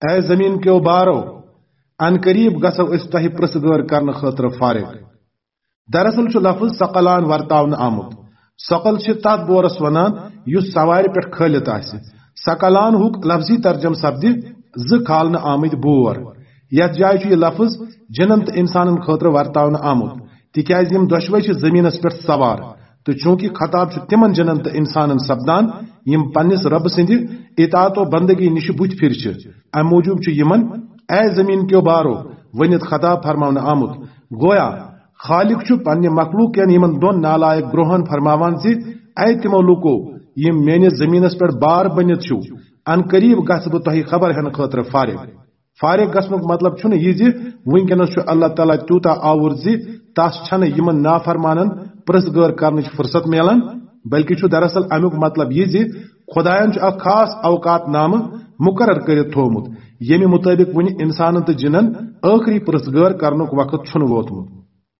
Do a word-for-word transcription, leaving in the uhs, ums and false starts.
A زمین کیو بارو، ان قریب گژھو أسۍ تۄہہِ پرژھ گٲر کرنہٕ خٲطرٕ فارغ۔ دراصل چھُ لفظ ثقلان ورتاونہٕ آمُت۔ ثقل چھِ تتھ بورس ونان یُس سوارِ پٮ۪ٹھ کھٲلِتھ آسہِ۔ ثقلان ہُک لفظی ترجمہٕ سپدِ زٕ کھالنہٕ آمٕتۍ بور۔ یتھ جایہِ چھُ یہِ لفظ جِنن تہٕ انسانن خٲطرٕ ورتاونہٕ آمُت، تِکیازِ یِم دۄشوے چھِ زمینس پٮ۪ٹھ سوار۔ تہٕ چونکہ خطاب چھُ تِمن جِنن تہٕ انسانن سپدان، یِم پننِس رۄبہٕ سٕنٛدِ اطاعت و بندگی نِش بُتھِ پھِرِ چھِ، امہِ موٗجوٗب چھُ یِمن "اے زمین کیو بارو" ؤنِتھ خطاب فرماونہٕ آمُت۔ گویا خالق چھُ پننہِ مخلوق کٮ۪ن یِمن دۄن نالائق گروہن فرماوان زِ، اے تِمو لوٗکو، یِم میٲنِس زمینس پٮ۪ٹھ بار بٔنِتھ چھِو، ان قریب گژھٕ بہٕ تۄہہِ خبر ہٮ۪نہٕ خٲطرٕ فارغ۔ فارغ گژھنُک مطلب چھُنہٕ یہِ زِ وٕنکیٚنس چھُ اللہ تعالیٰ تیوٗتاہ آوُر زِ تس چھنہٕ یِمن نافرمانن پرژھ گٲر کرنٕچ فرصت میلان، بلکہِ چھُ دراصل امیُک مطلب یہِ زِ خدایَن چھُ اکھ خاص اوقات نامہٕ مقرر کٔرِتھ تھوومُت، ییٚمہِ مُطٲبِق وُنہِ انسانن تہٕ جِنن ٲخری پرژھ گٲر کرنُک وقت چھُنہٕ ووتمُت۔